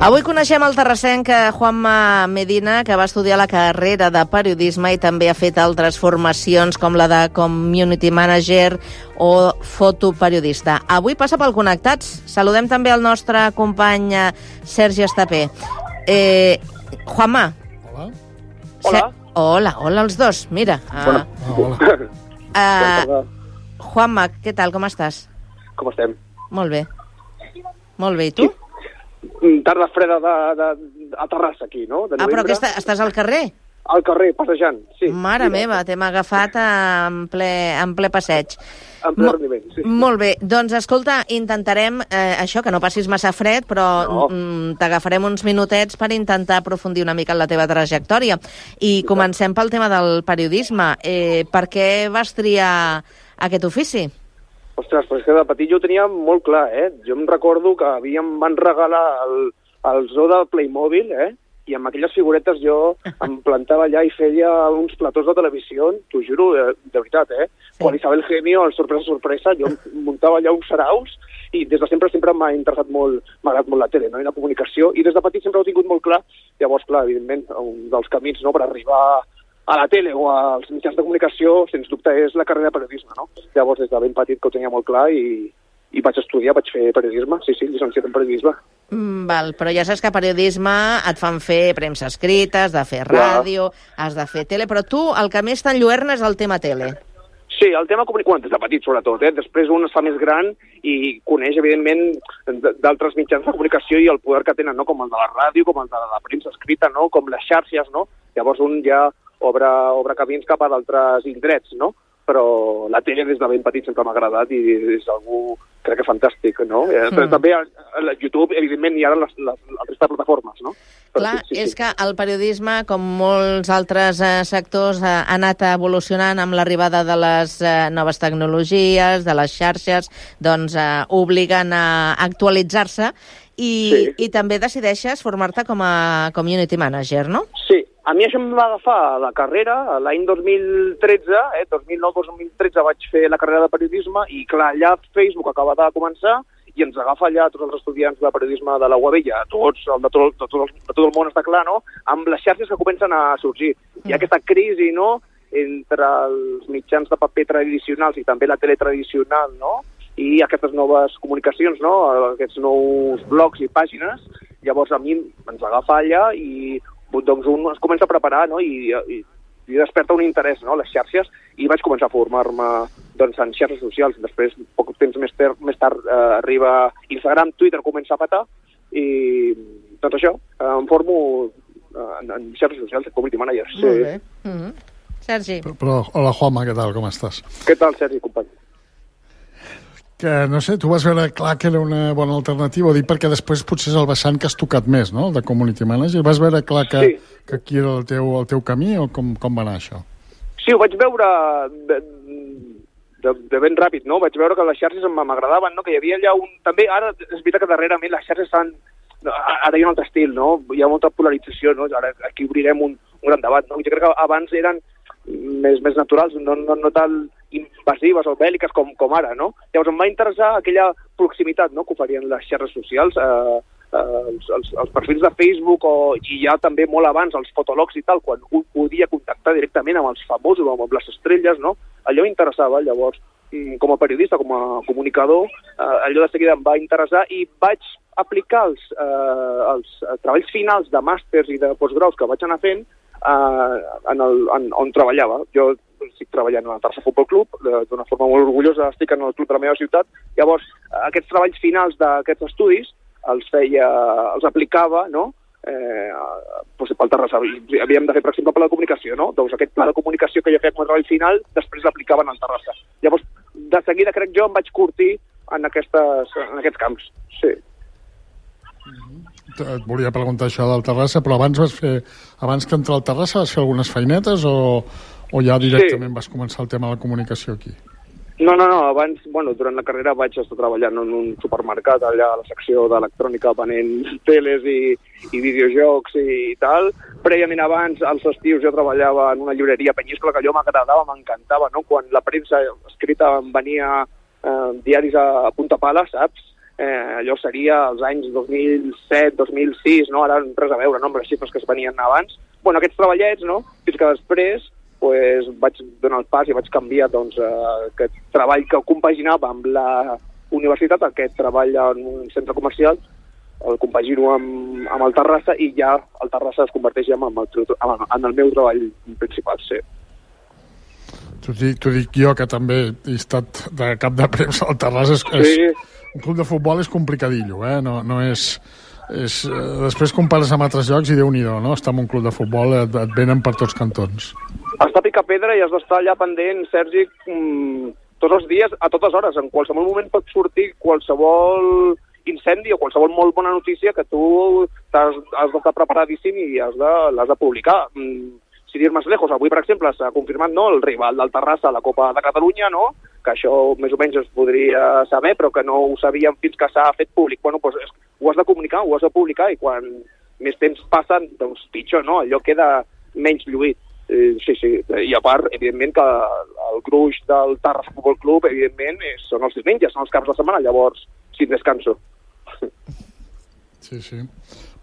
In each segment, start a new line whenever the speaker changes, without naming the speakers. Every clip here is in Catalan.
Avui coneixem el terrassenc Juanma Medina, que va estudiar la carrera de periodisme i també ha fet altres formacions com la de Community Manager o fotoperiodista. Avui passa pel Connectats. Saludem també el nostre company Sergi Estapé. Juanma.
Hola.
Hola els dos, mira.
Hola.
Juanma, què tal, com estàs?
Com estem?
Molt bé. Molt bé, i tu?
Tarda freda a Terrassa, aquí, no?
Però que estàs al carrer?
Al carrer, passejant, sí.
Mare meva, t'hem agafat en ple passeig.
En ple rendiment, sí.
Molt bé, doncs escolta, intentarem això, que no passis massa fred, però t'agafarem uns minutets per intentar aprofundir una mica en la teva trajectòria. I comencem pel tema del periodisme. Per què vas triar aquest ofici?
Ostres, però és que de petit jo ho tenia molt clar, Jo em recordo que em van regalar el zoo del Playmobil, i amb aquelles figuretes jo em plantava allà i feia uns platós de televisió, t'ho juro, de veritat, Sí. Quan Isabel Gemio, el sorpresa, jo muntava allà uns saraus i des de sempre m'ha interessat molt, m'ha agradat molt la tele, no? I la comunicació, i des de petit sempre ho he tingut molt clar. Llavors, clar, evidentment, un dels camins, no?, per arribar a la tele o als mitjans de comunicació, sens dubte, és la carrera de periodisme, no? Llavors, des de ben petit que ho tenia molt clar i vaig estudiar, vaig fer periodisme, sí, llicenciat en periodisme.
Val, però ja saps que periodisme et fan fer premsa escrita, has de fer ràdio, has de fer tele, però tu el que més t'enlluerna és el tema tele.
Sí, el tema comunicació, des de petit sobretot, Després un es fa més gran i coneix, evidentment, d'altres mitjans de comunicació i el poder que tenen, no?, com el de la ràdio, com el de la premsa escrita, no?, com les xarxes, no? Llavors un ja obre camins cap a d'altres indrets, no? Però la tele des de ben petit sempre m'ha agradat i és algú, crec que fantàstic, no? Però també a YouTube, evidentment, hi ha les altres plataformes, no?
Clar, és que el periodisme, com molts altres sectors, ha anat evolucionant amb l'arribada de les noves tecnologies, de les xarxes, doncs obliguen a actualitzar-se i també decideixes formar-te com a community manager, no?
Sí. A mi això em va agafar a la carrera, l'any 2013, 2009-2013 vaig fer la carrera de periodisme i, clar, allà Facebook acaba de començar i ens agafa allà tots els estudiants de periodisme de la UAB, ja tots, de tot el món està clar, no?, amb les xarxes que comencen a sorgir. Hi ha aquesta crisi, no?, entre els mitjans de paper tradicionals i també la tele tradicional, no?, i aquestes noves comunicacions, no?, aquests nous blogs i pàgines. Llavors a mi ens agafa allà i doncs un es comença a preparar, no?, i desperta un interès, no?, les xarxes, i vaig començar a formar-me doncs, en xarxes socials. Després, poc temps més tard, arriba Instagram, Twitter, comença a petar, i doncs això, em formo en xarxes socials, community manager. Sí.
Molt bé. Sergi.
Però, hola, Juanma, què tal, com estàs?
Què tal, Sergi, company?
Que, no sé, tu vas veure clar que era una bona alternativa, ho dic perquè després potser és el vessant que has tocat més, no?, de community manager. Vas veure clar que aquí era el teu camí o com va anar això?
Sí, ho vaig veure de ben ràpid, no? Vaig veure que les xarxes m'agradaven, no?, que hi havia allà un... També, ara, és veritat que darrerament les xarxes estan... Ara hi ha un altre estil, no? Hi ha molta polarització, no? Ara aquí obrirem un gran debat, no? Jo crec que abans eren més naturals, no tan invasives o bèl·liques com ara, no? Llavors em va interessar aquella proximitat, no?, que oferien les xarxes socials, els perfils de Facebook i ja també molt abans els fotologs i tal, quan un podia contactar directament amb els famosos o amb les estrelles, no? Allò m'interessava. Llavors, com a periodista, com a comunicador, allò de seguida em va interessar i vaig aplicar els treballs finals de màsters i de postgraus que vaig anar fent on treballava. Jo estic treballant al Terrassa Futbol Club, d'una forma molt orgullosa estic en el club de la meva ciutat. Llavors, aquests treballs finals d'aquests estudis els aplicava, no?, pel Terrassa. Havíem de fer, per exemple, pla de comunicació, no? Doncs aquest pla de comunicació que jo feia com a treball final, després l'aplicaven al Terrassa. Llavors, de seguida, crec jo, em vaig curtir en aquests camps, sí.
Et volia preguntar això del Terrassa, però abans que entrar al Terrassa vas fer algunes feinetes o ja directament vas començar el tema de la comunicació aquí?
No, abans, durant la carrera vaig estar treballant en un supermercat, allà a la secció d'electrònica, venent teles i videojocs i tal. Prèviament abans, als estius, jo treballava en una llibreria a Penyíscola, que allò m'agradava, m'encantava, no? Quan la premsa escrita em venia diaris a punta pala, saps? allò seria als anys 2007, 2006, no? Ara res a veure, no? Amb les xifres que es venien abans. Bueno, aquests treballets, no? Fins que després pues, vaig donar el pas i vaig canviar doncs, aquest treball que compaginava amb la universitat, aquest treball en un centre comercial, el compagino amb el Terrassa i ja el Terrassa es converteix en el meu treball principal, sí.
T'ho dic jo, que també he estat de cap de premsa al Terrassa.
Sí.
Un club de futbol és complicadillo, no és... després compares amb altres llocs i Déu-n'hi-do, no? Estar en un club de futbol et venen per tots cantons.
Està a picar pedra i has d'estar allà pendent, Sergi, tots els dies, a totes hores. En qualsevol moment pot sortir qualsevol incendi o qualsevol molt bona notícia que tu has d'estar preparadíssim i l'has de publicar. Si dir més lejos, avui, per exemple, s'ha confirmat, no, el rival del Terrassa a la Copa de Catalunya, no?, que això més o menys es podria saber, però que no ho sabíem fins que s'ha fet públic. Bueno, doncs ho has de comunicar, ho has de publicar, i quan més temps passen, doncs pitjor, no? Allò queda menys lluït. Sí. I a part, evidentment, que el gruix del Terrassa Futbol Club, evidentment, són els diumenges, són els caps de setmana, llavors, sin descanso.
Sí.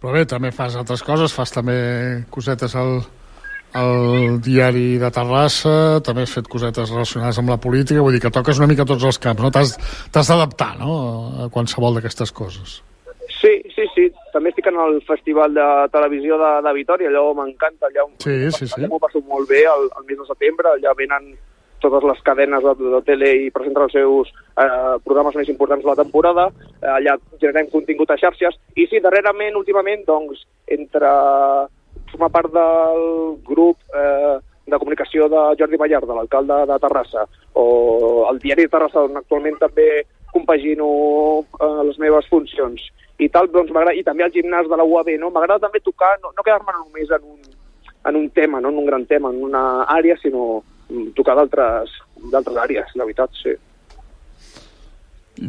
Però bé, també fas altres coses, fas també cosetes al diari de Terrassa, també has fet cosetes relacionades amb la política, vull dir que toques una mica tots els camps, no? T'has d'adaptar, no?, a qualsevol d'aquestes coses.
Sí. També estic en el Festival de Televisió de Vitòria, allò m'encanta. Allà m'ho passo molt bé el mes de setembre, allà venen totes les cadenes de tele i presenten els seus programes més importants de la temporada, allà generem contingut a xarxes, i sí, darrerament, últimament, doncs, entre formar part del grup de comunicació de Jordi Ballard, de l'alcalde de Terrassa, o el diari de Terrassa, on actualment també compagino les meves funcions, i tal, doncs m'agrada, i també al gimnàs de la UAB, no? M'agrada també tocar, no quedar-me només en un tema, no en un gran tema, en una àrea, sinó tocar d'altres àrees, la veritat, sí.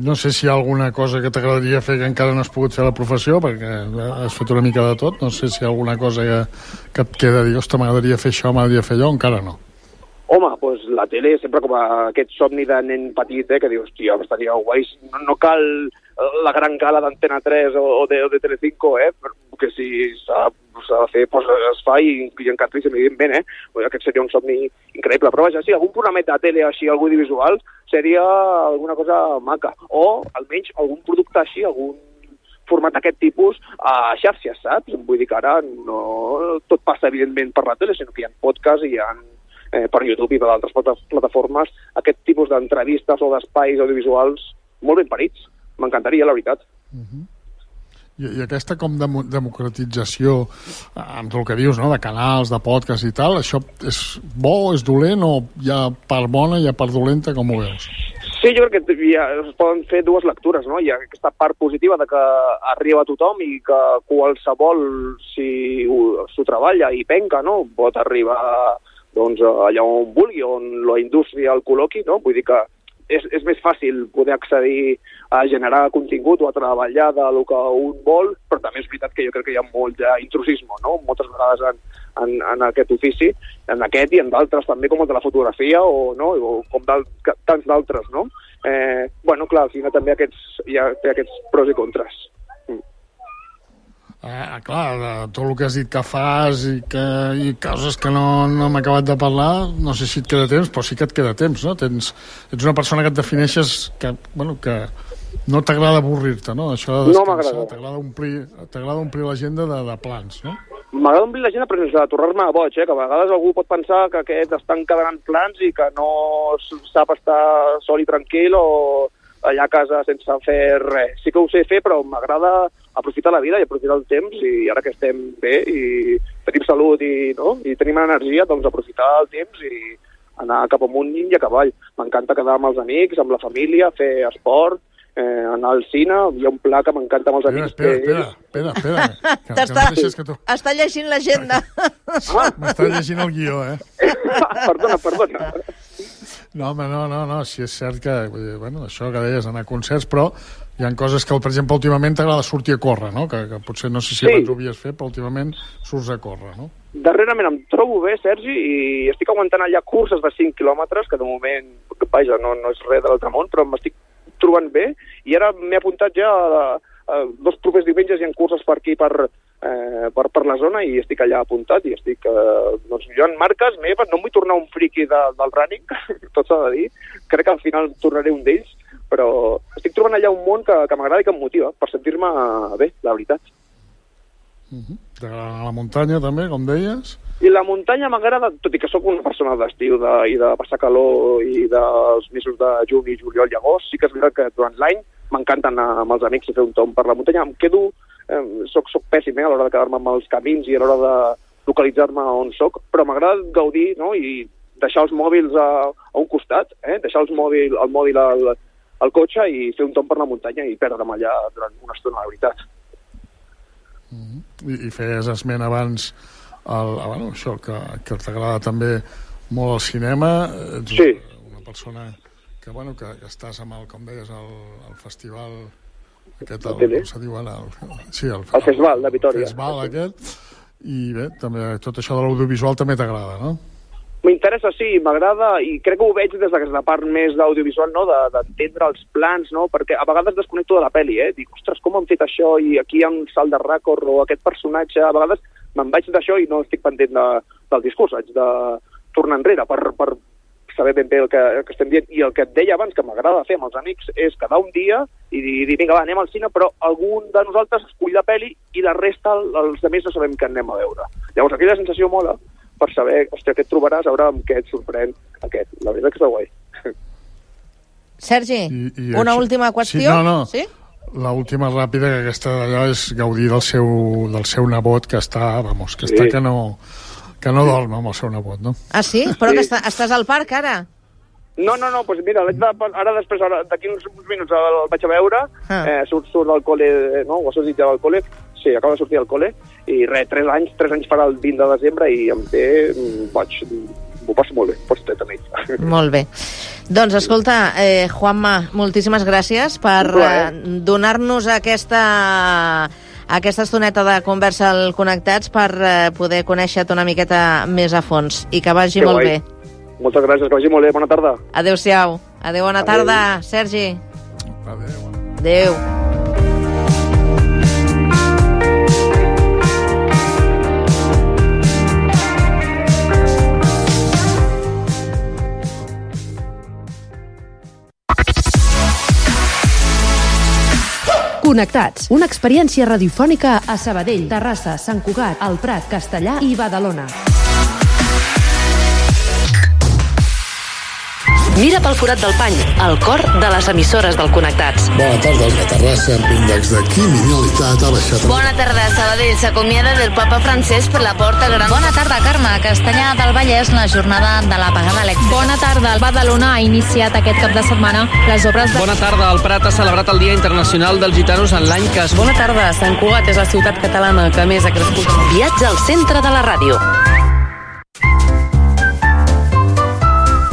No sé si hi ha alguna cosa que t'agradaria fer que encara no has pogut fer a la professió, perquè has fet una mica de tot. No sé si hi ha alguna cosa que et queda, dir, ostres, m'agradaria fer això, m'agradaria fer allò, encara no.
Home, doncs la tele sempre com aquest somni de nen petit, que dius, tio, estaria guai, no cal la gran gala d'Antena 3 o de Telecinco, perquè si s'ha de fer, doncs es fa i encantadíssim, evidentment, aquest seria un somni increïble. Però vaja, sí, algun programet de tele així, algú audiovisual, seria alguna cosa maca. O, almenys, algun producte així, algun format d'aquest tipus a xarxes, saps? Vull dir que ara no tot passa, evidentment, per la tele, sinó que hi ha podcasts i hi ha per YouTube i per altres plataformes aquest tipus d'entrevistes o d'espais audiovisuals molt ben parits. M'encantaria, la veritat.
I aquesta com democratització, amb tot el que dius, no?, de canals, de podcast i tal, això és bo, és dolent, o hi ha part bona i hi ha part dolenta, com ho veus?
Sí, jo crec que es poden fer dues lectures, no? Hi ha aquesta part positiva de que arriba a tothom i que qualsevol, si s'ho treballa i penca, no?, pot arribar doncs, allà on vulgui, on la indústria el col·loqui, no? Vull dir que és més fàcil poder accedir a generar contingut o a treballar del que un vol, però també és veritat que jo crec que hi ha molt d'intrusisme, no?, moltes vegades en aquest ofici, en aquest i en d'altres també, com el de la fotografia o com tants d'altres, no? Bueno, clar, al final també hi ha aquests pros i contres.
Clar, tot el que has dit que fas i coses que no hem acabat de parlar, no sé si et queda temps, però sí que et queda temps, no? Ets una persona que et defineixes que no t'agrada avorrir-te, no? Això de descansar, t'agrada omplir l'agenda de plans, no?
M'agrada omplir l'agenda, però sense tornar-me boig, que a vegades algú pot pensar que aquest està encadenant plans i que no sap estar sol i tranquil o allà a casa sense fer res. Sí que ho sé fer, però m'agrada aprofitar la vida i aprofitar el temps, i ara que estem bé i tenim salut i tenim energia, doncs aprofitar el temps i anar cap amunt i a cavall. M'encanta quedar amb els amics, amb la família, fer esport, anar al cine. Hi ha un pla que m'encanta amb els amics.
Espera.
Està llegint l'agenda.
M'està llegint el guió,
Perdona.
No, home, no, sí és cert que, això que deies, anar a concerts, però hi ha coses que, per exemple, últimament t'agrada sortir a córrer, no? Que potser no sé si abans ho havies fet, però últimament surts a córrer, no?
Darrerament em trobo bé, Sergi, i estic aguantant allà curses de 5 quilòmetres, que de moment, vaja, no és res de l'altre món, però m'estic trobant bé, i ara m'he apuntat ja a 2 propers diumenges hi ha curses per aquí, per la zona, i estic allà apuntat, i estic, doncs jo en marques meves, no em vull tornar un friqui del running, tot s'ha de dir, crec que al final tornaré un d'ells, però estic trobant allà un món que m'agrada i que em motiva, per sentir-me bé, la veritat.
T'agrada la muntanya també, com deies?
I la muntanya m'agrada, tot i que sóc una persona d'estiu i de passar calor i dels mesos de juny, juliol i agost, sí que és veritat que durant l'any m'encanta anar amb els amics i fer un tomb per la muntanya. Em quedo, soc pèssim a l'hora de quedar-me amb els camins i a l'hora de localitzar-me on soc, però m'agrada gaudir, no?, i deixar els mòbils a un costat, deixar el mòbil al cotxe i fer un tomb per la muntanya i perdre'm allà durant una estona, la veritat.
I feies esment abans això, que t'agrada també molt el cinema. Ets una persona que estàs amb com deies, el festival aquest, com se diu ara? El
Festival de Vitòria.
El festival aquest, i bé, també tot això de l'audiovisual també t'agrada, no?
M'interessa, sí, m'agrada, i crec que ho veig des d'aquesta part més d'audiovisual, no?, d'entendre els plans, no?, perquè a vegades desconnecto de la pel·li, dic, ostres, com han fet això, i aquí hi ha un salt de rècord, o aquest personatge, a vegades me'n vaig d'això i no estic pendent del discurs, haig de tornar enrere per saber ben bé el que estem dient, i el que et deia abans, que m'agrada fer amb els amics, és quedar un dia i dir, vinga, va, anem al cine, però algun de nosaltres escull la pel·li i la resta, els altres no sabem què anem a veure. Llavors, aquella sensació mola per saber, hòstia, què et trobaràs, a veure amb què et sorprèn aquest. La veritat que està guai.
Sergi, una última qüestió?
Sí? L'última ràpida, que aquesta d'allò és gaudir del seu nebot, que està, que no dorm amb el seu nebot, no?
Ah, sí? Però que estàs al parc, ara?
No, doncs mira, d'aquí uns minuts el vaig a veure, surt del col·le, no? O sortit ja del col·le, sí, acaba de sortir del col·le, i res, 3 anys farà el 20 de desembre, i em té, m'ho passo molt bé, pots estar amb ell.
Molt bé. Doncs, escolta, Juanma, moltíssimes gràcies per donar-nos aquesta estoneta de conversa al Connectats, per poder conèixer-te una miqueta més a fons, i que vagi molt bé.
Moltes gràcies, que vagi molt bé, bona tarda.
Adéu-siau. Adéu, bona tarda, Sergi. Adéu.
Connectats, una experiència radiofònica a Sabadell, Terrassa, Sant Cugat, El Prat, Castellar i Badalona. Mira pel forat del pany, el cor de les emissores del Connectats.
Bona tarda, a Terrassa, l'índex de criminalitat ha baixat.
Bona tarda, Sabadell s'acomiada del papa Francesc per la porta gran.
Bona tarda, Carme. Castellà del Vallès, la jornada de l'apagada elèctrica.
Bona tarda, el Badalona ha iniciat aquest cap de setmana les obres de...
Bona tarda, el Prat ha celebrat el Dia Internacional dels Gitanos en l'any que...
Bona tarda, Sant Cugat és la ciutat catalana que més ha crescut.
Viatge al centre de la ràdio.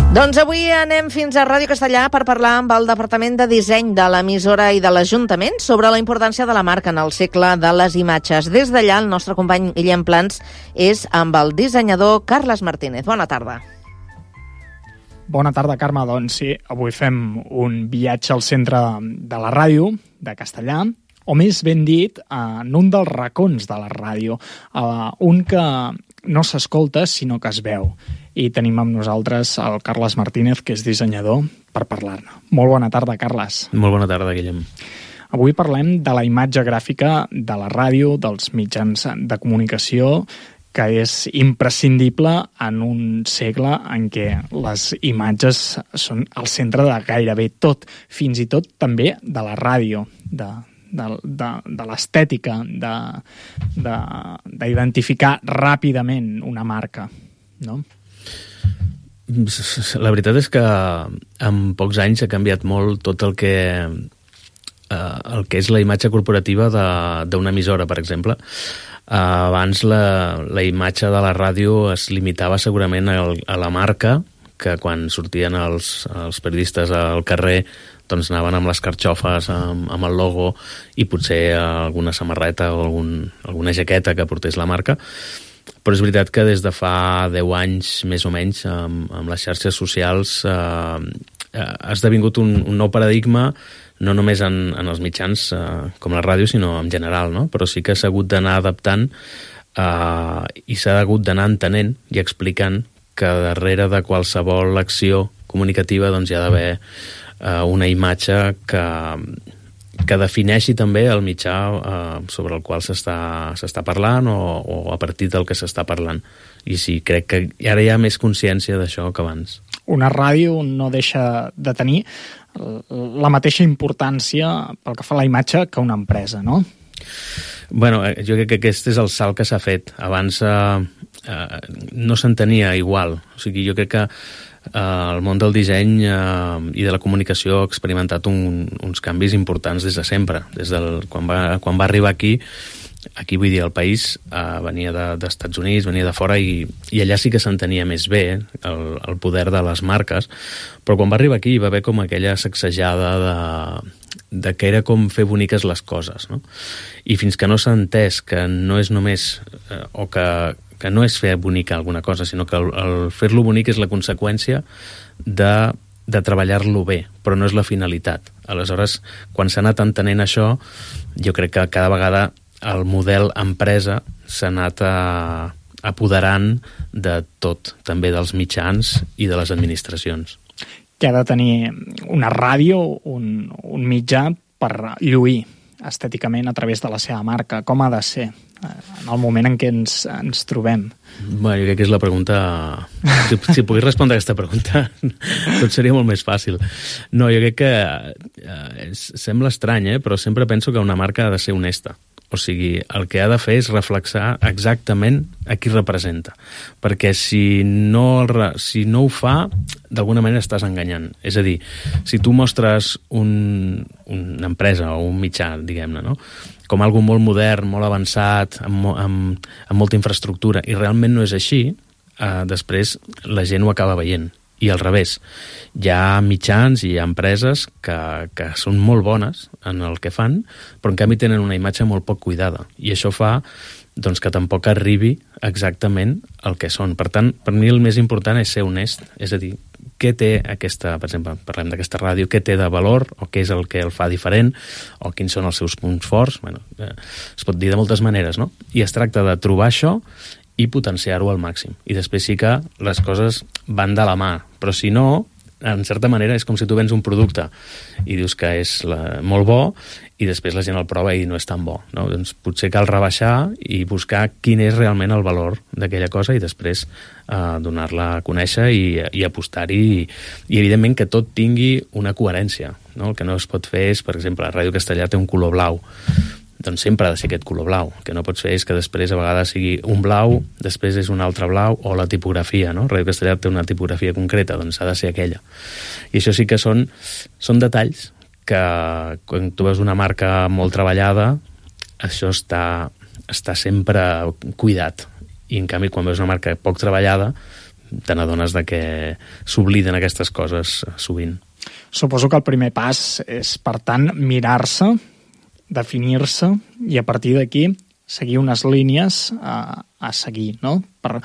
Doncs avui anem fins a Ràdio Castellà per parlar amb el Departament de Disseny de l'emissora i de l'Ajuntament sobre la importància de la marca en el segle de les imatges. Des d'allà, el nostre company Guillem Plans és amb el dissenyador Carles Martínez. Bona tarda.
Bona tarda, Carme. Doncs sí, avui fem un viatge al centre de la ràdio de Castellà, o més ben dit, en un dels racons de la ràdio, un que no s'escolta, sinó que es veu. I tenim amb nosaltres el Carles Martínez, que és dissenyador, per parlar-ne. Molt bona tarda, Carles.
Molt bona tarda, Guillem.
Avui parlem de la imatge gràfica de la ràdio, dels mitjans de comunicació, que és imprescindible en un segle en què les imatges són al centre de gairebé tot, fins i tot també de la ràdio, de l'estètica, d'identificar ràpidament una marca, no?
La veritat és que en pocs anys ha canviat molt tot el que és la imatge corporativa d'una emissora, per exemple. Abans la imatge de la ràdio es limitava segurament a la marca, que quan sortien els periodistes al carrer doncs anaven amb les carxofes, amb el logo i potser alguna samarreta o alguna jaqueta que portés la marca. Però és veritat que des de fa 10 anys, més o menys, amb les xarxes socials ha esdevingut un nou paradigma, no només en els mitjans com la ràdio, sinó en general, no? Però sí que s'ha hagut d'anar adaptant i s'ha hagut d'anar entenent i explicant que darrere de qualsevol acció comunicativa doncs, hi ha d'haver una imatge que defineixi també el mitjà sobre el qual s'està parlant o a partir del que s'està parlant. I sí, crec que ara hi ha més consciència d'això que abans.
Una ràdio no deixa de tenir la mateixa importància pel que fa a la imatge que una empresa, no?
Bueno, jo crec que aquest és el salt que s'ha fet. Abans no s'entenia igual. O sigui, jo crec que el món del disseny i de la comunicació ha experimentat uns canvis importants des de sempre. Quan va arribar aquí vull dir, el país venia d'Estats Units, venia de fora i allà sí que s'entenia més bé el poder de les marques, però quan va arribar aquí hi va haver com aquella sacsejada de que era com fer boniques les coses, no? I fins que no s'ha entès que no és només o que no és fer bonica alguna cosa, sinó que el fer-lo bonic és la conseqüència de treballar-lo bé, però no és la finalitat. Aleshores, quan s'ha anat entenent això, jo crec que cada vegada el model empresa s'ha anat apoderant de tot, també dels mitjans i de les administracions.
Que ha de tenir una ràdio, un mitjà per lluir estèticament a través de la seva marca. Com ha de ser en el moment en què ens trobem?
Bueno, jo crec que és la pregunta... Si pogués respondre a aquesta pregunta, tot seria molt més fàcil. No, jo crec que sembla estrany, però sempre penso que una marca ha de ser honesta. O sigui, el que ha de fer és reflexar exactament a qui representa. Perquè si no ho fa, d'alguna manera estàs enganyant. És a dir, si tu mostres una empresa o un mitjà, diguem-ne, no? Com algo molt modern, molt avançat, amb molta infraestructura, i realment no és així, després la gent ho acaba veient. I al revés, hi ha mitjans i hi ha empreses que són molt bones en el que fan, però en canvi tenen una imatge molt poc cuidada. I això fa doncs, que tampoc arribi exactament el que són. Per tant, per mi el més important és ser honest. És a dir, què té aquesta, per exemple, parlem d'aquesta ràdio, què té de valor, o què és el que el fa diferent, o quins són els seus punts forts. Bueno, es pot dir de moltes maneres, no? I es tracta de trobar això i potenciar-ho al màxim. I després sí que les coses van de la mà, però si no, en certa manera és com si tu vens un producte i dius que és molt bo i després la gent el prova i no és tan bo, no? Doncs potser cal rebaixar i buscar quin és realment el valor d'aquella cosa i després donar-la a conèixer i apostar-hi i evidentment que tot tingui una coherència, no? El que no es pot fer és, per exemple, la Ràdio Castellà té un color blau, doncs sempre ha de ser aquest color blau. El que no pots fer és que després a vegades sigui un blau, després és un altre blau, o la tipografia, no? Ràdio Castellà té una tipografia concreta, doncs ha de ser aquella. I això sí que són detalls que quan tu veus una marca molt treballada, això està sempre cuidat. I en canvi quan veus una marca poc treballada, te n'adones de que s'obliden aquestes coses sovint.
Suposo que el primer pas és, per tant, mirar-se, definir-se i a partir d'aquí seguir unes línies a seguir, no? Per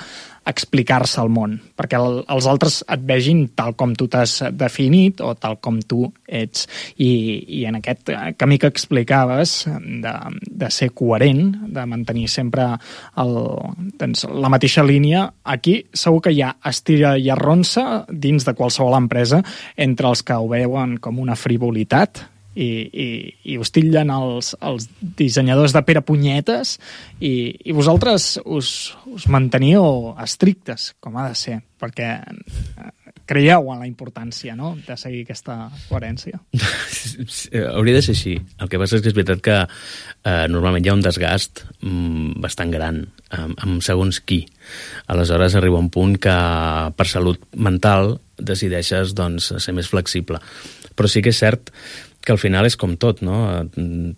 explicar-se al món, perquè els altres et vegin tal com tu t'has definit o tal com tu ets. I en aquest camí que explicaves de ser coherent, de mantenir sempre la mateixa línia, aquí segur que hi ha estira i arronsa dins de qualsevol empresa entre els que ho veuen com una frivolitat i us titllen els dissenyadors de Pere Punyetes i vosaltres us manteniu estrictes, com ha de ser, perquè creieu en la importància, no?, de seguir aquesta coherència.
Hauria de ser així. El que passa és que és veritat que normalment hi ha un desgast bastant gran amb segons qui. Aleshores arriba un punt que per salut mental decideixes doncs, ser més flexible. Però sí que és cert que al final és com tot, no?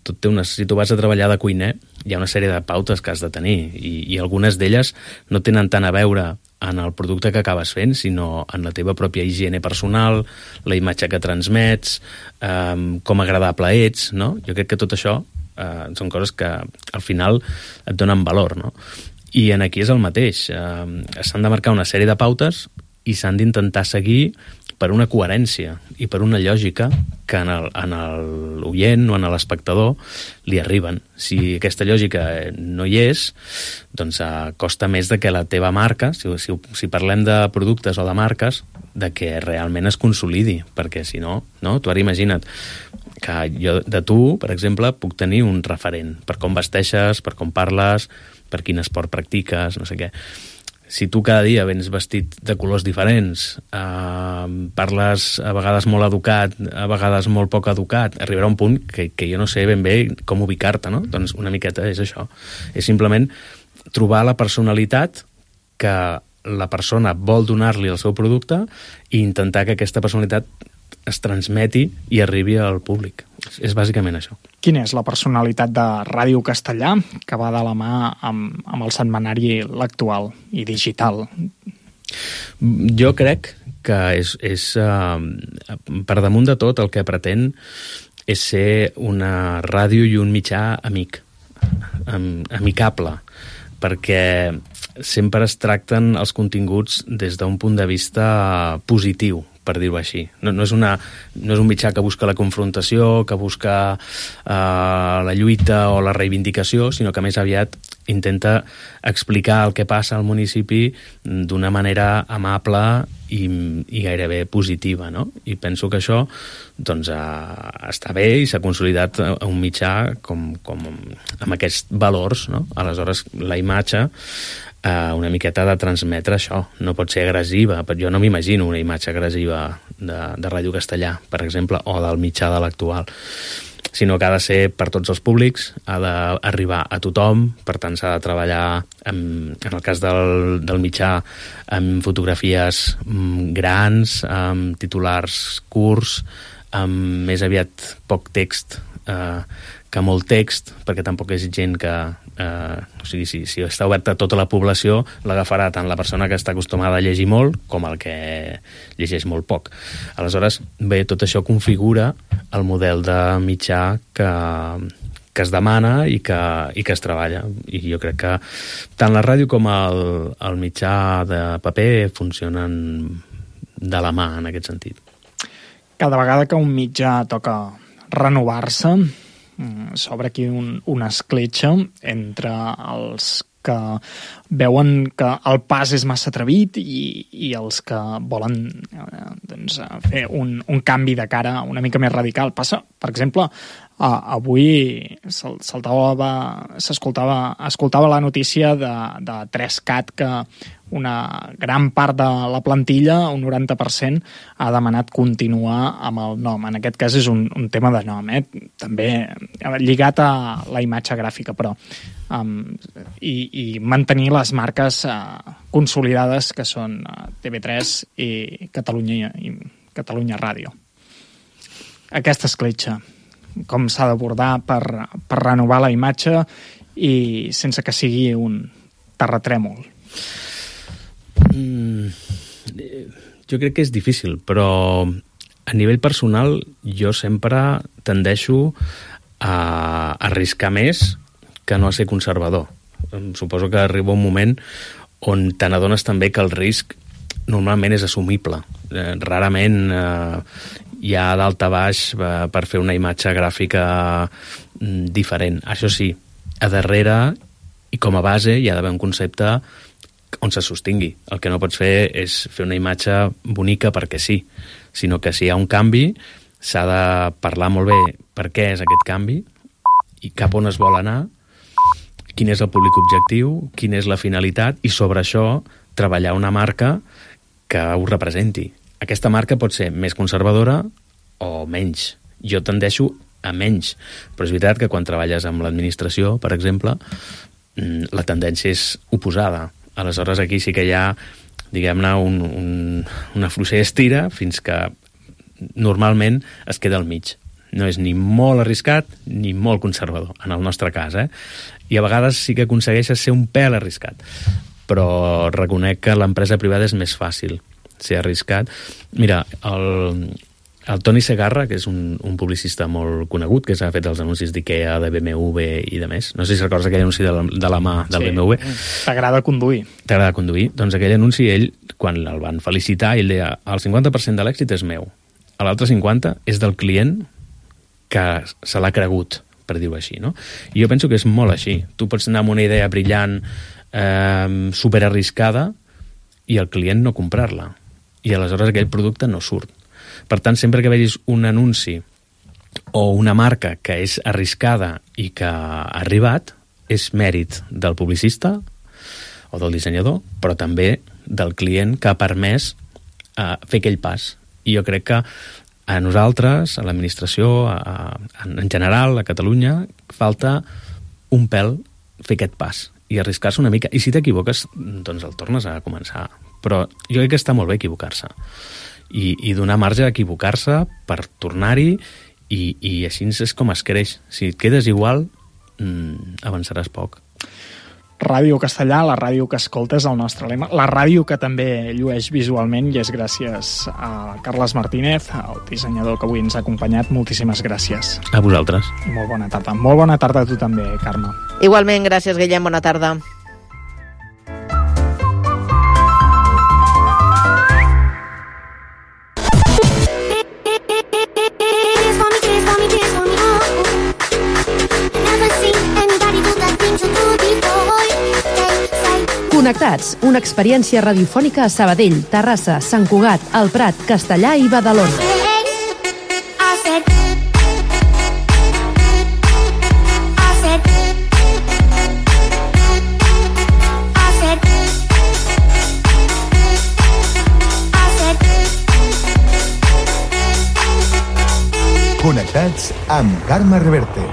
Tot té si tu vas a treballar de cuiner, hi ha una sèrie de pautes que has de tenir i algunes d'elles no tenen tant a veure en el producte que acabes fent, sinó en la teva pròpia higiene personal, la imatge que transmets, com agradable ets, no? Jo crec que tot això són coses que al final et donen valor, no? I en aquí és el mateix. S'han de marcar una sèrie de pautes i s'han d'intentar seguir per una coherència i per una lògica que en l'oient o en l'espectador li arriben. Si aquesta lògica no hi és, doncs costa més de que la teva marca, si parlem de productes o de marques, de que realment es consolidi, perquè si no, tu ara imagina't que jo de tu, per exemple, puc tenir un referent per com vesteixes, per com parles, per quin esport practiques, no sé què. Si tu cada dia vens vestit de colors diferents, parles a vegades molt educat, a vegades molt poc educat, arribarà un punt que jo no sé ben bé com ubicar-te, no? Doncs una miqueta és això. És simplement trobar la personalitat que la persona vol donar-li al seu producte i intentar que aquesta personalitat es transmeti i arribi al públic. És bàsicament això.
Quina és la personalitat de Ràdio Castellà que va de la mà amb el setmanari L'Actual i digital?
Jo crec que és per damunt de tot el que pretén és ser una ràdio i un mitjà amicable, perquè sempre es tracten els continguts des d'un punt de vista positiu, per dir-ho així. No és un mitjà que busca la confrontació, que busca la lluita o la reivindicació, sinó que més aviat intenta explicar el que passa al municipi d'una manera amable i gairebé positiva, no? I penso que això doncs, està bé i s'ha consolidat un mitjà com amb aquests valors, no? Aleshores, la imatge una miqueta ha de transmetre això. No pot ser agressiva. Jo no m'imagino una imatge agressiva de Ràdio Castellà, per exemple, o del mitjà de l'Actual, sinó que ha de ser per tots els públics, ha d'arribar a tothom, per tant s'ha de treballar, en el cas del mitjà, amb fotografies grans, amb titulars curts, amb més aviat poc text que molt text, perquè tampoc és gent que... o sigui, si està oberta a tota la població, l'agafarà tant la persona que està acostumada a llegir molt com el que llegeix molt poc. Aleshores, bé, tot això configura el model de mitjà que es demana i que es treballa. I jo crec que tant la ràdio com el mitjà de paper funcionen de la mà en aquest sentit.
Cada vegada que un mitjà toca renovar-se, s'obre aquí una escletxa entre els que veuen que el pas és massa atrevit i els que volen doncs, fer un canvi de cara una mica més radical. Passa, per exemple, avui escoltava la notícia de 3CAT que una gran part de la plantilla, un 90%, ha demanat continuar amb el nom. En aquest cas és un tema de nom, també lligat a la imatge gràfica, però i mantenir les marques consolidades que són TV3 i Catalunya Ràdio. Aquesta escletxa, com s'ha d'abordar per renovar la imatge i sense que sigui un terratrèmol?
Jo crec que és difícil, però a nivell personal jo sempre tendeixo a arriscar més que no a ser conservador. Suposo que arriba un moment on te n'adones també que el risc normalment és assumible. Rarament hi ha dalt a baix per fer una imatge gràfica diferent. Això sí, a darrere i com a base hi ha d'haver un concepte on se sostingui. El que no pots fer és fer una imatge bonica perquè sí, sinó que si hi ha un canvi s'ha de parlar molt bé per què és aquest canvi i cap on es vol anar, quin és el públic objectiu, quina és la finalitat i sobre això treballar una marca que ho representi. Aquesta marca pot ser més conservadora o menys. Jo tendeixo a menys, però és veritat que quan treballes amb l'administració, per exemple, la tendència és oposada. Aleshores aquí sí que hi ha, diguem-ne, una fluixa estira fins que normalment es queda al mig. No és ni molt arriscat ni molt conservador, en el nostre cas, I a vegades sí que aconsegueixes ser un pèl arriscat. Però reconec que l'empresa privada és més fàcil ser arriscat. Mira, El Toni Segarra, que és un publicista molt conegut, que s'ha fet els anuncis d'IKEA, de BMW i de més. No sé si recordes aquell anunci de la mà del BMW.
T'agrada conduir.
T'agrada conduir. Doncs aquell anunci, ell, quan el van felicitar, ell deia, el 50% de l'èxit és meu. L'altre 50% és del client que se l'ha cregut, per dir-ho així, no? I jo penso que és molt així. Tu pots anar amb una idea brillant, superarriscada, i el client no comprar-la. I aleshores aquell producte no surt. Per tant, sempre que vegis un anunci o una marca que és arriscada i que ha arribat, és mèrit del publicista o del dissenyador, però també del client que ha permès fer aquell pas. I jo crec que a nosaltres, a l'administració, en general, a Catalunya, falta un pèl fer aquest pas i arriscar-se una mica. I si t'equivoques, doncs el tornes a començar. Però jo crec que està molt bé equivocar-se. I donar marge a equivocar-se per tornar-hi i així és com es creix. Si et quedes igual, avançaràs poc.
Ràdio Castellà, la ràdio que escoltes, el nostre lema. La ràdio que també llueix visualment i és gràcies a Carles Martínez, el dissenyador que avui ens ha acompanyat. Moltíssimes gràcies.
A vosaltres.
I molt bona tarda. Molt bona tarda a tu també, Carme.
Igualment, gràcies, Guillem. Bona tarda.
Connectats, una experiència radiofònica a Sabadell, Terrassa, Sant Cugat, El Prat, Castellà i Badalona.
Connectats amb Carme Reverte.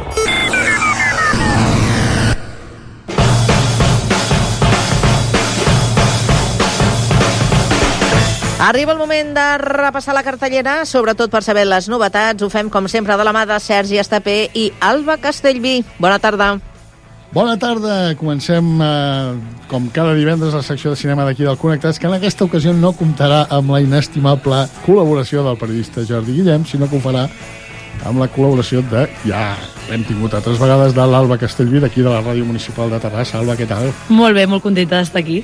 Arriba el moment de repassar la cartellera, sobretot per saber les novetats. Ho fem, com sempre, de la mà de Sergi Estapé i Alba Castellví. Bona tarda.
Bona tarda. Comencem, com cada divendres, la secció de cinema d'aquí del Connectats, que en aquesta ocasió no comptarà amb la inestimable col·laboració del periodista Jordi Guillem, sinó que ho farà amb la col·laboració de, ja l'hem tingut altres vegades, de l'Alba Castellví, d'aquí de la Ràdio Municipal de Terrassa. Alba, què tal?
Molt bé, molt contenta d'estar aquí.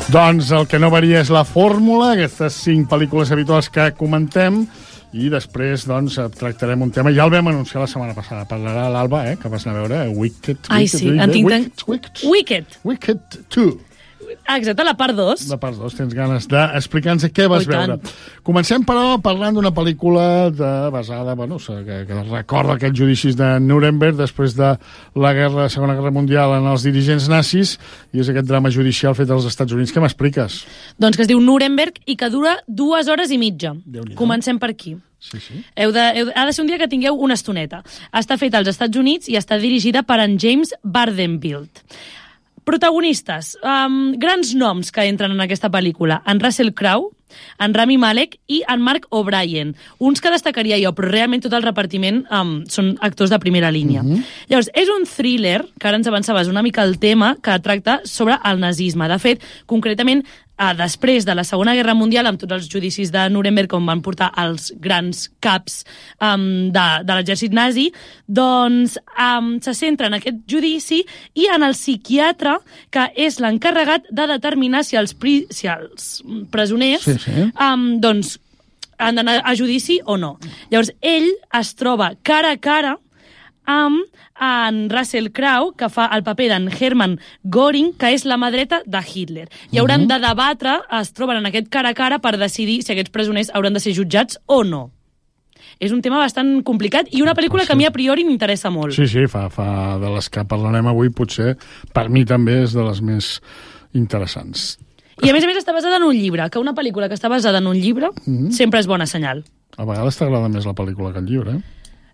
Doncs el que no varia és la fórmula, aquestes 5 pel·lícules habituals que comentem, i després doncs, tractarem un tema. Ja el vam anunciar la setmana passada. Parlarà l'Alba, que vas anar a veure, Wicked.
Ai, sí, en tinc tant...
Wicked 2.
Exacte, la part 2.
La part 2, tens ganes d'explicar-nos què vas veure. Comencem, però, parlant d'una pel·lícula basada, bueno, que recorda aquests judicis de Nuremberg després de la Segona Guerra Mundial en els dirigents nazis, i és aquest drama judicial fet als Estats Units. Què m'expliques?
Doncs que es diu Nuremberg i que dura 2 hores i mitja. Comencem per aquí.
Sí.
Ha de ser un dia que tingueu una estoneta. Està feta als Estats Units i està dirigida per en James Vanderbilt. Protagonistes, grans noms que entren en aquesta pel·lícula. En Russell Crowe, en Rami Malek i en Mark O'Brien. Uns que destacaria jo, però realment tot el repartiment són actors de primera línia. Llavors, és un thriller, que ara ens avançaves una mica el tema, que tracta sobre el nazisme. De fet, concretament, després de la Segona Guerra Mundial, amb tots els judicis de Nuremberg, on van portar els grans caps de l'exèrcit nazi, doncs se centra en aquest judici i en el psiquiatre, que és l'encarregat de determinar si els presoners doncs han d'anar a judici o no. Llavors, ell es troba cara a cara amb en Russell Crowe, que fa el paper d'en Hermann Göring, que és la mà dreta de Hitler. I hauran de debatre, es troben en aquest cara a cara per decidir si aquests presoners hauran de ser jutjats o no. És un tema bastant complicat i una pel·lícula que a mi a priori m'interessa molt.
Sí, fa de les que parlarem avui, potser per mi també és de les més interessants.
I a més està basada en un llibre, que una pel·lícula que està basada en un llibre sempre és bona senyal.
A vegades t'agrada més la pel·lícula que el llibre,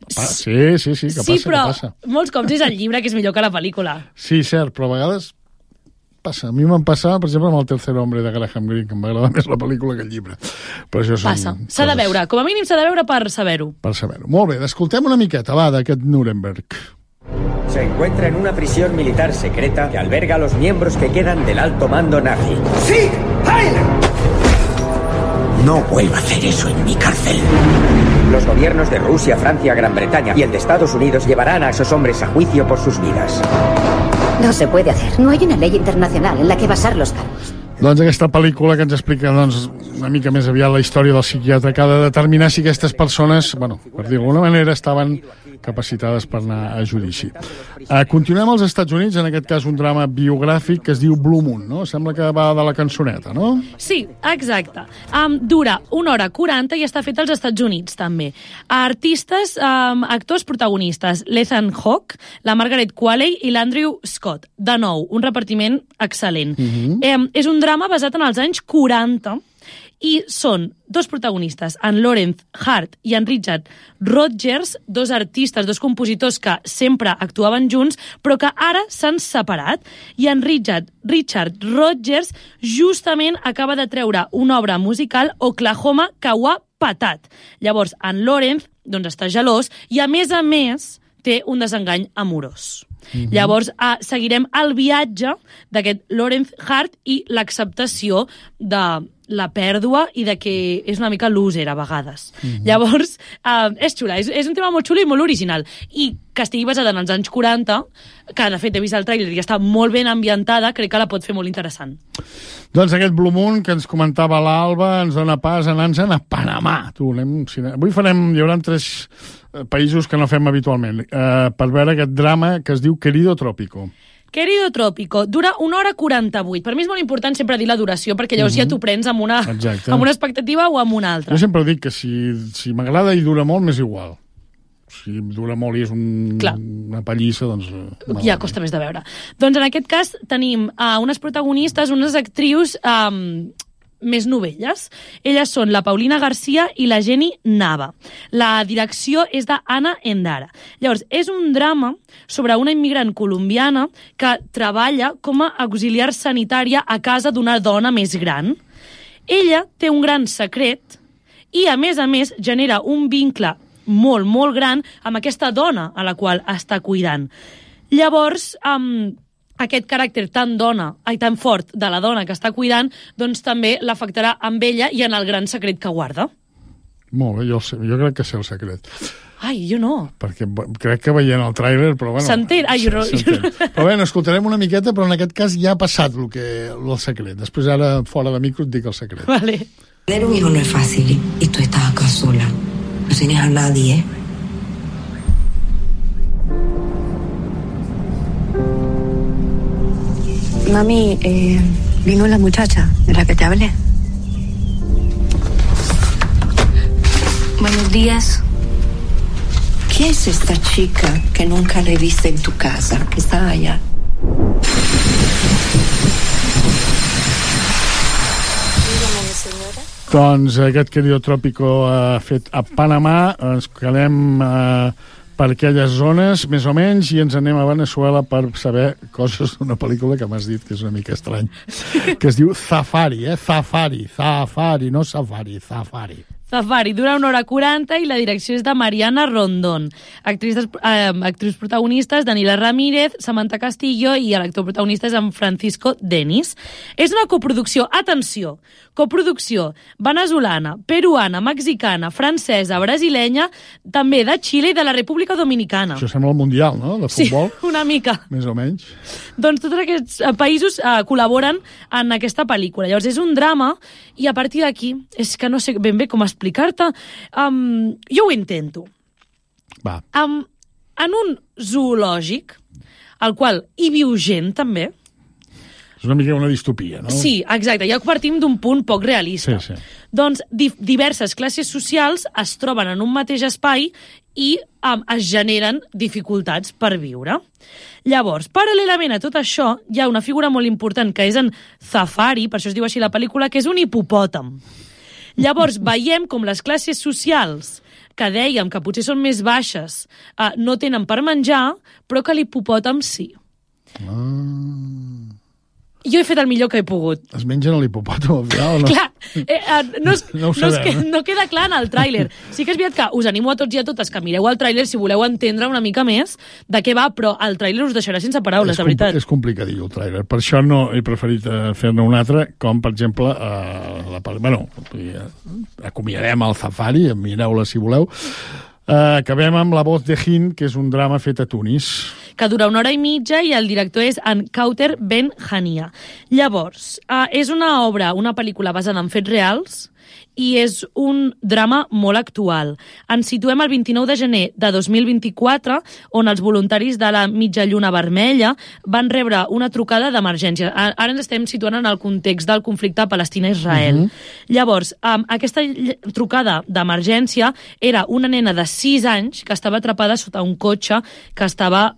Sí, que passa,
però
que passa.
Molts cops és el llibre que és millor que la pel·lícula.
Sí, cert, però a vegades Passa. A mi m'en passa, per exemple, amb El tercer hombre de Graham Greene, que m'agrada més la pel·lícula que el llibre. Però això
passa. S'ha de veure. Com a mínim s'ha de veure per saber-ho.
Per saber-ho. Molt bé, escoltem una miqueta, va, d'aquest Nuremberg.
Se encuentra en una prisión militar secreta que alberga a los miembros que quedan del alto mando nazi. ¡Sieg Heil! No vuelva a hacer eso en mi cárcel. Los gobiernos de Rusia, Francia, Gran Bretaña y el de Estados Unidos llevarán a esos hombres a juicio por sus vidas.
No se puede hacer. No hay una ley internacional en la que basar los cargos.
Doncs aquesta pel·lícula que ens explica una mica més aviat la història del psiquiatre que ha de determinar si aquestes persones, bueno, per dir d'alguna manera, estaven capacitades per anar a judici. Continuem als Estats Units, en aquest cas un drama biogràfic que es diu Blue Moon, no? Sembla que va de la cançoneta, no?
Sí, exacte. Dura 1h40 i està fet als Estats Units, també. Artistes, actors protagonistes, l'Ethan Hawke, la Margaret Qualley i l'Andrew Scott. De nou, un repartiment excel·lent. És un drama basat en els anys 40 i són dos protagonistes, en Lawrence Hart i en Richard Rodgers, dos artistes, dos compositors que sempre actuaven junts, però que ara s'han separat. I en Richard Rodgers justament acaba de treure una obra musical, Oklahoma, que ho ha patat. Llavors, en Lawrence està gelós i, a més, té un desengany amorós. Llavors, seguirem el viatge d'aquest Lawrence Hart i l'acceptació de la pèrdua i de que és una mica loser a vegades. Llavors, és xula, és un tema molt xulo i molt original. I que estigui basada en els anys 40, que de fet he vist el tràiler i està molt ben ambientada, crec que la pot fer molt interessant.
Doncs aquest Blue Moon que ens comentava l'Alba ens dona pas a anar-nos a Panamà. Avui hi haurà 3 països que no fem habitualment, per veure aquest drama que es diu Querido Trópico.
Querido Trópico, dura 1h48. Per mi és molt important sempre dir la duració, perquè llavors ja t'ho prens amb una expectativa o amb una altra.
Jo sempre dic que si m'agrada i dura molt, m'és igual. Si dura molt i és una pallissa, doncs...
Ja costa més de veure. Doncs en aquest cas tenim unes protagonistes, unes actrius més novelles. Elles són la Paulina García i la Jenny Nava. La direcció és d'Anna Endara. Llavors, és un drama sobre una immigrant colombiana que treballa com a auxiliar sanitària a casa d'una dona més gran. Ella té un gran secret i, a més, genera un vincle molt, molt gran amb aquesta dona a la qual està cuidant. Llavors, aquest caràcter tan fort de la dona que està cuidant, doncs també l'afectarà amb ella i en el gran secret que guarda.
Molt bé, jo crec que sé el secret.
Ai, jo no.
Perquè crec que veient el tràiler, però bueno...
S'entén? Ai, jo no.
Però bé, escoltarem una miqueta, però en aquest cas ja ha passat el secret. Després ara, fora de micro, et dic el secret.
Vale.
Tener un hijo no es fácil y tú estás acá sola. No tienes a nadie,
Mami, vino la muchacha de la que te hablé.
Buenos días. ¿Qué es esta chica que nunca le viste en tu casa, que está allá? Dígame, señora.
Doncs aquest Querido Trópico fet a Panamà. Ens quedem per aquelles zones, més o menys, i ens anem a Venezuela per saber coses d'una pel·lícula que m'has dit que és una mica estrany, que es diu Zafari, Zafari, no Safari, Zafari.
Zafari, dura 1h40 i la direcció és de Mariana Rondón. Actrius protagonistes, Daniela Ramírez, Samantha Castillo i l'actor protagonista és en Francisco Denis. És una coproducció, atenció, coproducció venezolana, peruana, mexicana, francesa, brasilenya, també de Xile i de la República Dominicana.
Això sembla el Mundial, no?, de futbol.
Sí, una mica.
Més o menys.
Doncs tots aquests països col·laboren en aquesta pel·lícula. Llavors és un drama i a partir d'aquí, és que no sé ben bé com explicar-te, jo ho intento.
Va.
En un zoològic, al qual hi viu gent també.
És una mica una distopia, no?
Sí, exacte, ja partim d'un punt poc realista.
Sí.
Doncs diverses classes socials es troben en un mateix espai i es generen dificultats per viure. Llavors, paral·lelament a tot això, hi ha una figura molt important que és en Zafari, per això es diu així la pel·lícula, que és un hipopòtam. Llavors, veiem com les classes socials, que dèiem que potser són més baixes, no tenen per menjar, però que l'hipopòtam sí. Jo he fet el millor que he pogut.
Es mengen l'hipopòtam al final o no?
Clar,
no ho sabem.
No queda clar en el tràiler. Sí que és veritat que us animo a tots i a totes que mireu el tràiler si voleu entendre una mica més de què va, però el tràiler us deixarà sense paraules, de veritat.
És complicadillo el tràiler. Per això no he preferit fer-ne un altre, com per exemple acomiadem el Safari, mireu-la si voleu. Acabem amb La voz de Hind, que és un drama fet a Tunis.
Que dura 1 hora i mitja i el director és en Kauter Ben Hania. Llavors, és una pel·lícula basada en fets reals i és un drama molt actual. Ens situem el 29 de gener de 2024, on els voluntaris de la Mitja Lluna Vermella van rebre una trucada d'emergència. Ara ens estem situant en el context del conflicte Palestina-Israel. Llavors, aquesta trucada d'emergència era una nena de 6 anys que estava atrapada sota un cotxe que estava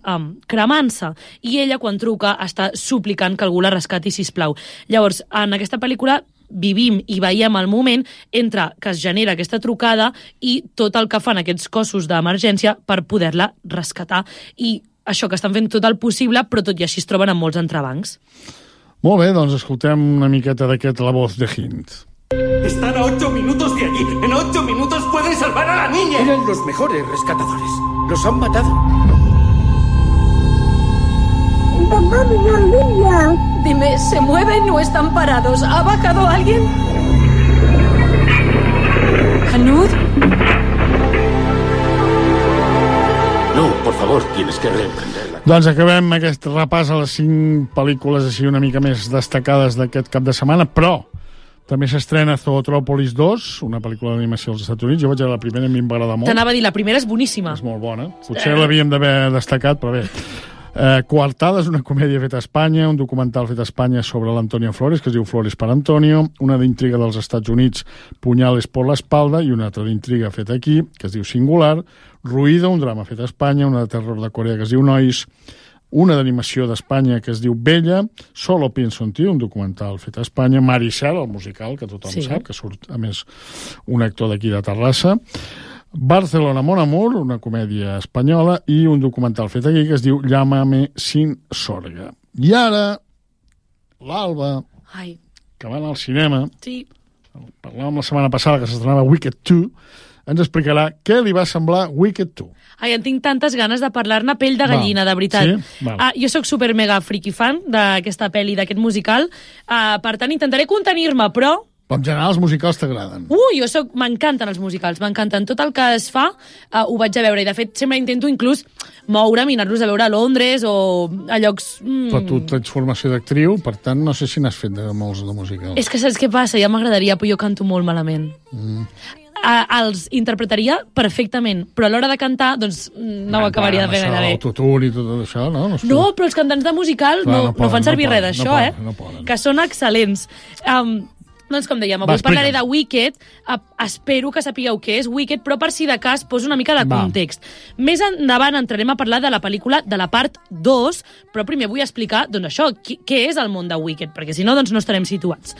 cremant-se. I ella, quan truca, està suplicant que algú la rescati, sisplau. Llavors, en aquesta pel·lícula vivim i veiem el moment entre que es genera aquesta trucada i tot el que fan aquests cossos d'emergència per poder-la rescatar. I això, que estan fent tot el possible, però tot i així es troben amb molts entrebancs.
Molt bé, doncs escoltem una miqueta d'aquest La voz de Hind.
Están a 8 minutos de allí. En 8 minutos pueden salvar a la niña. Eran los mejores rescatadores. Los han matado.
¿Dónde está la niña? Dime, ¿se mueven o están parados? ¿Ha bajado alguien? ¿Hanud?
No, por favor, tienes que reemprenderla.
Doncs acabem aquest repàs a les 5 pel·lícules així una mica més destacades d'aquest cap de setmana, però també s'estrena Zootrópolis 2, una pel·lícula d'animació als Estats Units. Jo vaig veure la primera i a mi em va agradar molt.
T'anava a dir, la primera és boníssima.
És molt bona. Potser l'havíem d'haver destacat, però bé. Coartada és una comèdia feta a Espanya, un documental fet a Espanya sobre l'Antonio Flores, que es diu Flores per Antonio, una d'intriga dels Estats Units, Puñales por la espalda, i una altra d'intriga feta aquí, que es diu Singular, Ruido, un drama fet a Espanya, una de terror de Corea que es diu Nois, una d'animació d'Espanya que es diu Bella, Solo pienso en ti, un documental fet a Espanya, Maricel, el musical, que tothom sap, que surt, a més, un actor d'aquí de Terrassa, Barcelona Mon Amour, una comèdia espanyola, i un documental fet aquí que es diu Llámame sin sorga. I ara, l'Alba, que va anar al cinema, parlàvem la setmana passada que s'estrenava Wicked 2, ens explicarà què li va semblar Wicked 2.
Ai, en tinc tantes ganes de parlar-ne, pell de gallina, de veritat.
Sí?
Jo sóc super mega friki fan d'aquesta pel·li, d'aquest musical, per tant intentaré contenir-me, però...
En general, els musicals t'agraden.
M'encanten els musicals, m'encanten. Tot el que es fa ho vaig a veure, i de fet sempre intento inclús moure'm i anar-los a veure a Londres o a llocs...
Però tu tens formació d'actriu, per tant no sé si n'has fet de molts de musicals.
És que saps què passa? Ja m'agradaria, però jo canto molt malament. Els interpretaria perfectament, però a l'hora de cantar, doncs no ho acabaria de fer gaire bé.
L'autotune i tot això, no?
No, però els cantants de musical no fan servir res d'això, que són excel·lents. Doncs, com dèiem, avui parlaré de Wicked. Espero que sapigueu què és Wicked, però per si de cas poso una mica de context. Més endavant entrarem a parlar de la pel·lícula de la part 2, però primer vull explicar, doncs això, què és el món de Wicked, perquè si no, doncs no estarem situats.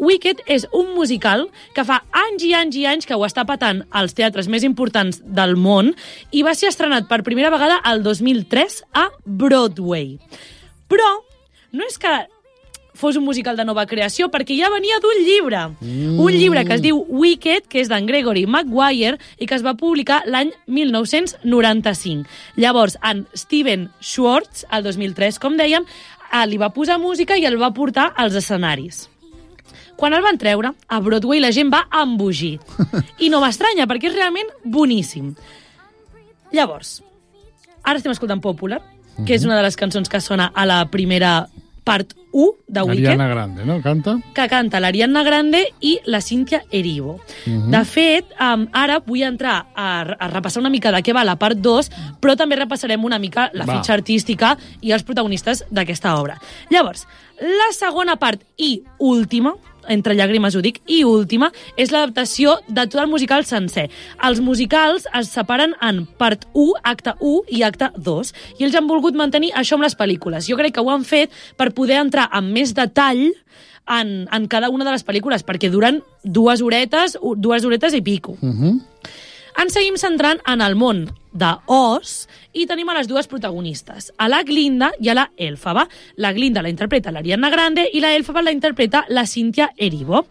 Wicked és un musical que fa anys i anys i anys que ho està patant als teatres més importants del món i va ser estrenat per primera vegada el 2003 a Broadway. Però no és que fos un musical de nova creació, perquè ja venia d'un llibre. Un llibre que es diu Wicked, que és d'en Gregory Maguire i que es va publicar l'any 1995. Llavors, en Steven Schwartz, el 2003, com dèiem, li va posar música i el va portar als escenaris. Quan el van treure, a Broadway la gent va embogir. I no m'estranya, perquè és realment boníssim. Llavors, ara estem escoltant Popular, que és una de les cançons que sona a la primera part 1 de Wicked.
Ariana Grande, no? Canta?
Que canta l'Ariana Grande i la Cynthia Erivo. De fet, ara vull entrar a repassar una mica de què va la part 2, però també repassarem una mica la fitxa artística i els protagonistes d'aquesta obra. Llavors, la segona part i última, entre llàgrimes ho dic, i última, és l'adaptació de tot el musical sencer. Els musicals es separen en part 1, acte 1 i acte 2, i ells han volgut mantenir això amb les pel·lícules. Jo crec que ho han fet per poder entrar amb més detall en cada una de les pel·lícules, perquè duren 2 horetes i pico. Ens seguim centrant en el món d'Oz i tenim a les dues protagonistes, a la Glinda i a la Elphaba. La Glinda la interpreta l'Ariana Grande i la Elphaba la interpreta la Cynthia Erivo.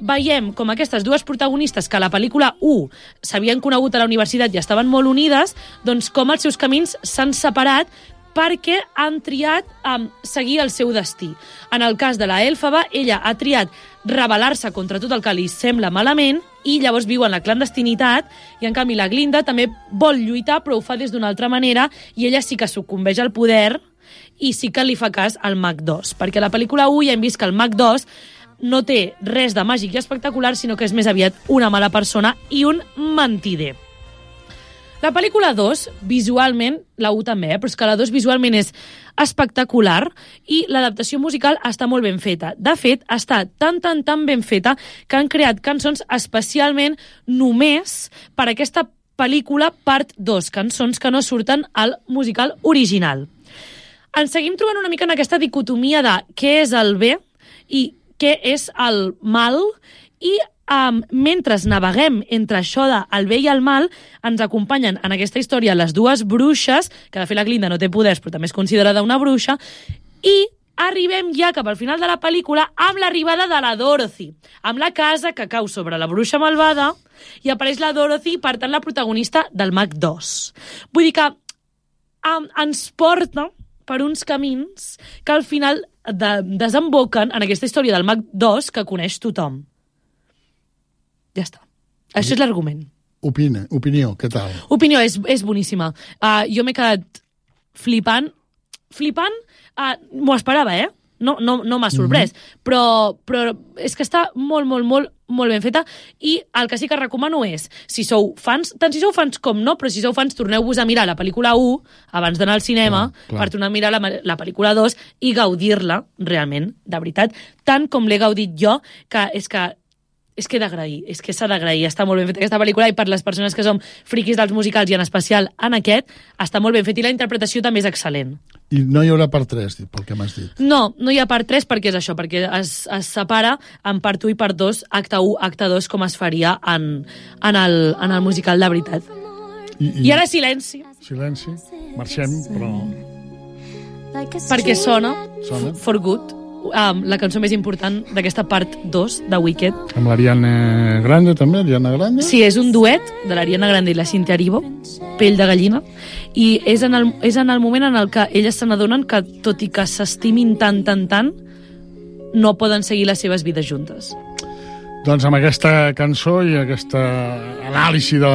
Veiem com aquestes dues protagonistes, que a la pel·lícula 1 s'havien conegut a la universitat i estaven molt unides, doncs com els seus camins s'han separat perquè han triat seguir el seu destí. En el cas de la Elphaba, ella ha triat rebel·lar-se contra tot el que li sembla malament i llavors viu en la clandestinitat, i en canvi la Glinda també vol lluitar però ho fa des d'una altra manera i ella sí que sucumbeix al poder i sí que li fa cas al Mag 2, perquè a la pel·lícula 1 ja hem vist que el Mag 2 no té res de màgic i espectacular, sinó que és més aviat una mala persona i un mentider. La pel·lícula 2, visualment, la 1 també, però és que la 2 visualment és espectacular i l'adaptació musical està molt ben feta. De fet, està tan ben feta que han creat cançons especialment només per aquesta pel·lícula part 2, cançons que no surten al musical original. Ens seguim trobant una mica en aquesta dicotomia de què és el bé i què és el mal, i mentre naveguem entre això de el bé i el mal, ens acompanyen en aquesta història les dues bruixes, que de fet la Glinda no té poders però també és considerada una bruixa, i arribem ja cap al final de la pel·lícula amb l'arribada de la Dorothy, amb la casa que cau sobre la bruixa malvada i apareix la Dorothy, per tant la protagonista del Mag 2. Vull dir que ens porta per uns camins que al final desemboquen en aquesta història del Mag 2 que coneix tothom. Ja està. Això és l'argument.
Opinió, què tal?
Opinió, és boníssima. Jo m'he quedat flipant, m'ho esperava, no m'ha sorprès, però és que està molt ben feta, i el que sí que recomano és, si sou fans, tant si sou fans com no, però si sou fans, torneu-vos a mirar la pel·lícula 1 abans d'anar al cinema, per tornar a mirar la pel·lícula 2 i gaudir-la realment, de veritat, tant com l'he gaudit jo, que és que d'agrair, és que s'ha d'agrair, està molt ben feta aquesta pel·lícula, i per les persones que som friquis dels musicals, i en especial en aquest, està molt ben fet, i la interpretació també és excel·lent.
I no hi haurà part 3, pel que m'has dit?
No hi ha part 3 perquè és això, perquè es separa en part 1 i part 2, acte 1, acte 2, com es faria en el musical de veritat. I ara silenci.
Silenci, marxem, però...
Perquè sona For Good, la cançó més important d'aquesta part 2 de Wicked.
Amb l'Ariana Grande, també? Ariana Grande?
Sí, és un duet de l'Ariana Grande i la Cynthia Erivo, Pell de gallina, i és en el moment en el que elles se n'adonen que, tot i que s'estimin tant, no poden seguir les seves vides juntes.
Doncs amb aquesta cançó i aquesta anàlisi de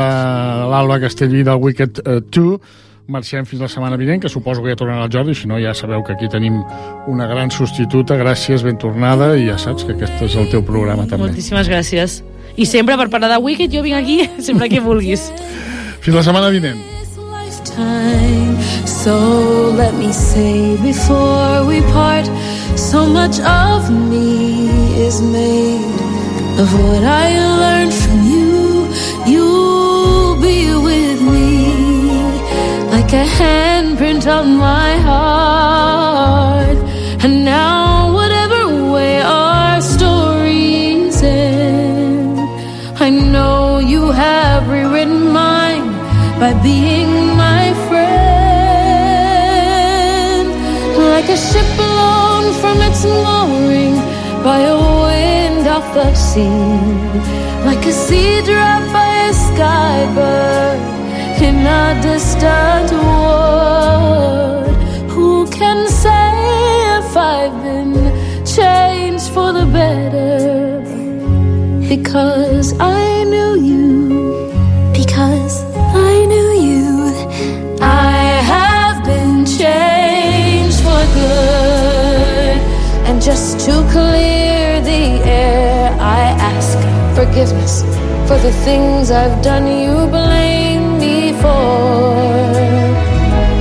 l'Alba Castellví del Wicked 2, marxem fins la setmana vinent, que suposo que ja tornarà el Jordi, si no ja sabeu que aquí tenim una gran substituta. Gràcies, ben tornada, i ja saps que aquest és el teu programa també.
Moltíssimes gràcies. I sempre per parlar de Wicked jo vinc aquí sempre que vulguis.
Fins la setmana vinent.
So let me say before we part, so much of me is made of what I learned from you. You'll be with me like a handprint on my heart. And now whatever way our stories end, I know you have rewritten mine by being my friend. Like a ship blown from its mooring by a wind off the sea, like a sea drop by a sky bird in a distant wood. Who can say if I've been changed for the better? Because I knew you. Because I knew you. I have been changed for good. And just to clear the air, I ask forgiveness for the things I've done you blame me for.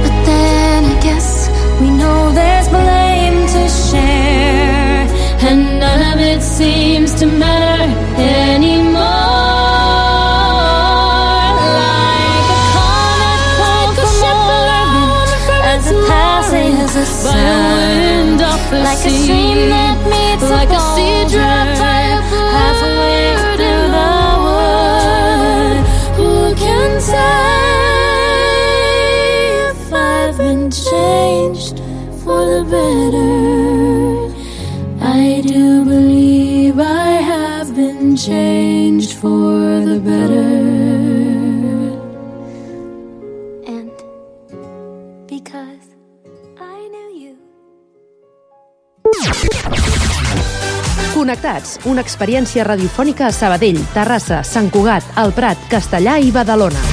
But then I guess we know there's blame to share, and none of it seems to matter anymore. Like a comet pulled from orbit as it passes a sound, like a stream that meets like a sea drop by a halfway through the wood. Who can say better. I do believe I have been changed for the better. And because I knew you.
Connectats, una experiència radiofònica a Sabadell, Terrassa, Sant Cugat, El Prat, Castellà i Badalona.